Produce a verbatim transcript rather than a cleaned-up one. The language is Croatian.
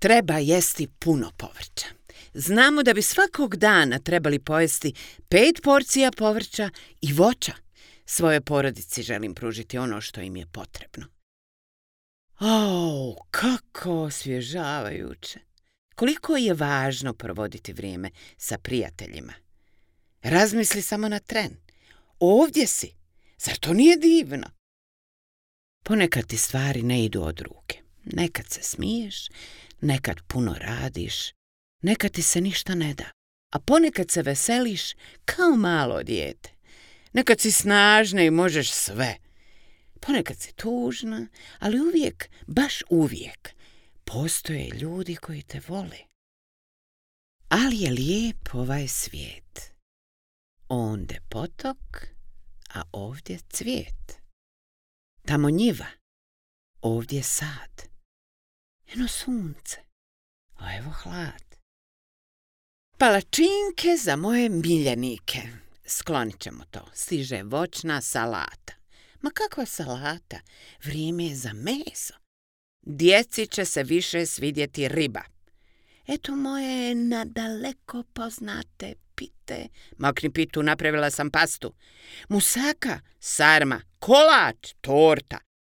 Treba jesti puno povrća. Znamo da bi svakog dana trebali pojesti pet porcija povrća i voća. Svojoj porodici želim pružiti ono što im je potrebno. O, kako osvježavajuće! Koliko je važno provoditi vrijeme sa prijateljima. Razmisli samo na tren. Ovdje si. Zar to nije divno? Ponekad ti stvari ne idu od ruke. Nekad se smiješ, nekad puno radiš, nekad ti se ništa ne da. A ponekad se veseliš kao malo dijete. Nekad si snažna i možeš sve. Ponekad si tužna, ali uvijek, baš uvijek, postoje ljudi koji te vole. Ali je lijep ovaj svijet. Onde potok, a ovdje cvijet. Tamo njiva, ovdje sad. Eno sunce, a evo hlad. Palačinke za moje miljenike. Sklonit ćemo to. Stiže voćna salata. Ma kakva salata? Vrijeme je za meso. Djeci će se više svidjeti riba. Eto moje nadaleko poznate pite. Makni pitu, napravila sam pastu. Musaka, sarma, kolač, torta.